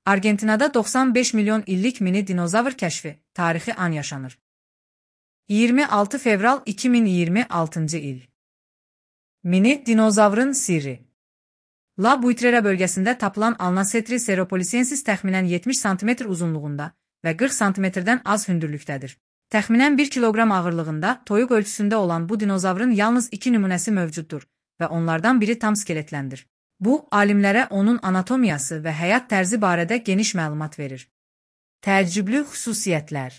Argentinada 95 milyon illik mini dinozavr kəşfi, tarixi an yaşanır. 26 fevral 2026 il. Mini dinozavrın sirri. La Buitrera bölgəsində tapılan Alnacetri ceropolisiensis təxminən 70 sm uzunluğunda və 40 sm-dən az hündürlükdədir. Təxminən 1 kiloqram ağırlığında toyuq ölçüsündə olan bu dinozavrın yalnız 2 nümunəsi mövcuddur və onlardan biri tam skeletləndir. Bu, alimlərə onun anatomiyası və həyat tərzi barədə geniş məlumat verir. Təəccüblü xüsusiyyətlər.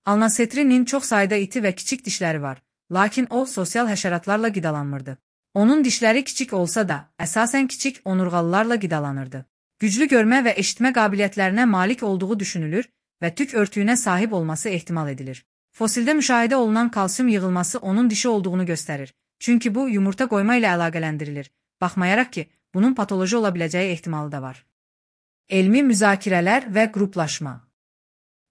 Alnacetrinin çox sayda iti və kiçik dişləri var, lakin o sosial həşəratlarla qidalanmırdı. Onun dişləri kiçik olsa da, əsasən kiçik onurğalılarla qidalanırdı. Güclü görmə və eşitmə qabiliyyətlərinə malik olduğu düşünülür və tük örtüyünə sahib olması ehtimal edilir. Fosildə müşahidə olunan kalsium yığılması onun dişi olduğunu göstərir, çünki bu yumurta qoyma ilə əlaqələndirilir. Baxmayaraq ki, bunun patoloji ola biləcəyi ehtimalı da var. Elmi müzakirələr və qruplaşma.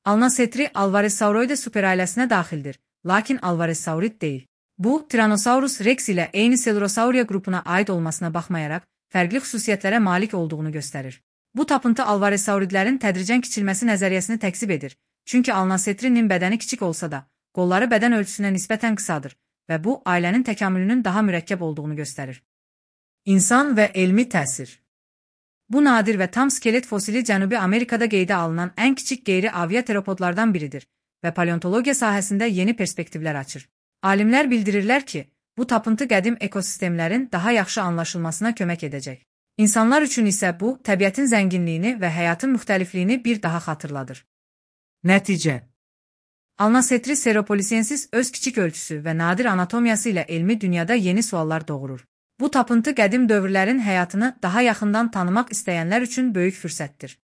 Alnacetri Alvarezsauroides superailəsinə daxildir, lakin Alvarezsaurid deyil. Bu, Tyrannosaurus rex ilə eyni Coelurosauria qrupuna aid olmasına baxmayaraq, fərqli xüsusiyyətlərə malik olduğunu göstərir. Bu tapıntı Alvarezsauridlərin tədricən kiçilməsi nəzəriyyəsini təksib edir, çünki Alnacetrinin bədəni kiçik olsa da, qolları bədən ölçüsünə nisbətən qısadır və bu, ailənin təkamülünün daha mürəkkəb olduğunu göstərir. İnsan və elmi təsir. Bu nadir və tam skelet fosili Cənubi Amerikada qeydə alınan ən kiçik qeyri-aviateropodlardan biridir və paleontologiya sahəsində yeni perspektivlər açır. Alimlər bildirirlər ki, bu tapıntı qədim ekosistemlərin daha yaxşı anlaşılmasına kömək edəcək. İnsanlar üçün isə bu, təbiətin zənginliyini və həyatın müxtəlifliyini bir daha xatırladır. Nəticə. Alnacetri ceropolisiensis öz kiçik ölçüsü və nadir anatomiyası ilə elmi dünyada yeni suallar doğurur. Bu tapıntı qədim dövrlərin həyatını daha yaxından tanımaq istəyənlər üçün böyük fürsətdir.